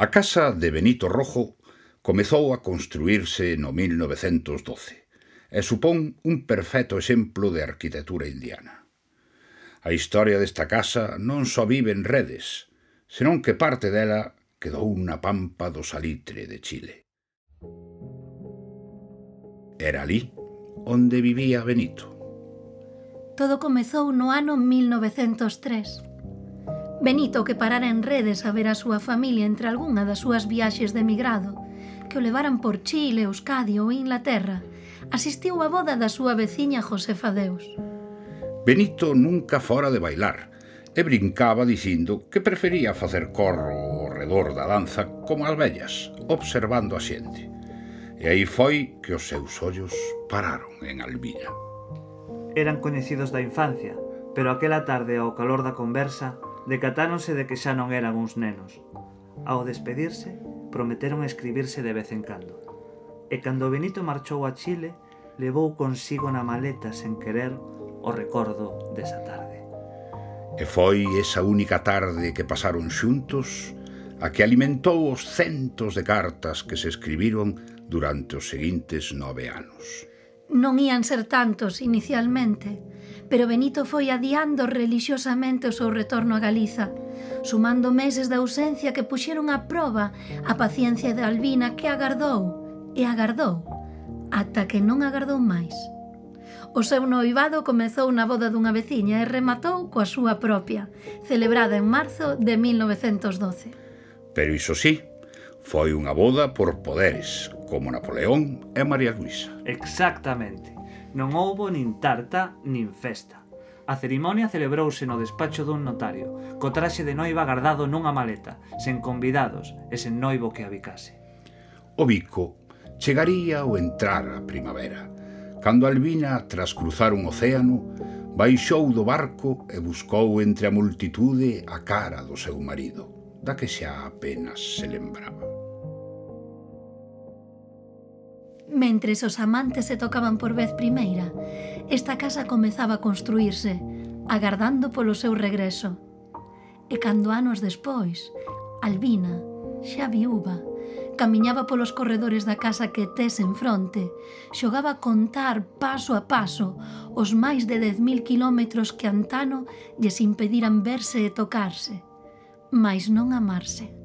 A casa de Benito Rojo comezou a construírse no 1912 e supón un perfecto exemplo de arquitectura indiana. A historia desta casa non só vive en Redes, senón que parte dela quedou na pampa do Salitre de Chile. Era alí onde vivía Benito. Todo comezou no ano 1903. Benito, que parara en Redes a ver a súa familia entre algunha das súas viaxes de emigrado, que o levaran por Chile, Euskadi ou Inglaterra, asistiu á boda da súa veciña Josefa Deus. Benito nunca fora de bailar e brincaba dicindo que prefería facer corro ao redor da danza como as vellas, observando a xente. E aí foi que os seus ollos pararon en Albina. Eran coñecidos da infancia, pero aquela tarde ao calor da conversa decatáronse de que xa non eran uns nenos. Ao despedirse, prometeron escribirse de vez en cando. E cando Benito marchou a Chile, levou consigo na maleta sen querer o recordo desa tarde. E foi esa única tarde que pasaron xuntos a que alimentou os centos de cartas que se escribiron durante os seguintes 9 anos. Non ían ser tantos inicialmente, pero Benito foi adiando relixiosamente o seu retorno a Galiza, sumando meses de ausencia que puxeron a proba a paciencia de Albina, que agardou e agardou, ata que non agardou máis. O seu noivado comezou na boda dunha veciña e rematou coa súa propia, celebrada en marzo de 1912. Pero iso sí, foi unha boda por poderes, como Napoleón e María Luisa. Exactamente. Non houbo nin tarta nin festa. A cerimonia celebrouse no despacho dun notario, co traxe de noiva guardado nunha maleta, sen convidados e sen noivo que a bicase. O bico chegaría ao entrar a primavera, cando Albina, tras cruzar un océano, baixou do barco e buscou entre a multitude a cara do seu marido, da que xa apenas se lembraba. Mentres os amantes se tocaban por vez primeira, esta casa comezaba a construírse, agardando polo seu regreso. E cando anos despois, Albina, xa viúva, camiñaba polos corredores da casa que tes en fronte, xogaba a contar paso a paso os máis de 10.000 quilómetros que antano lles impediran verse e tocarse, mais non amarse.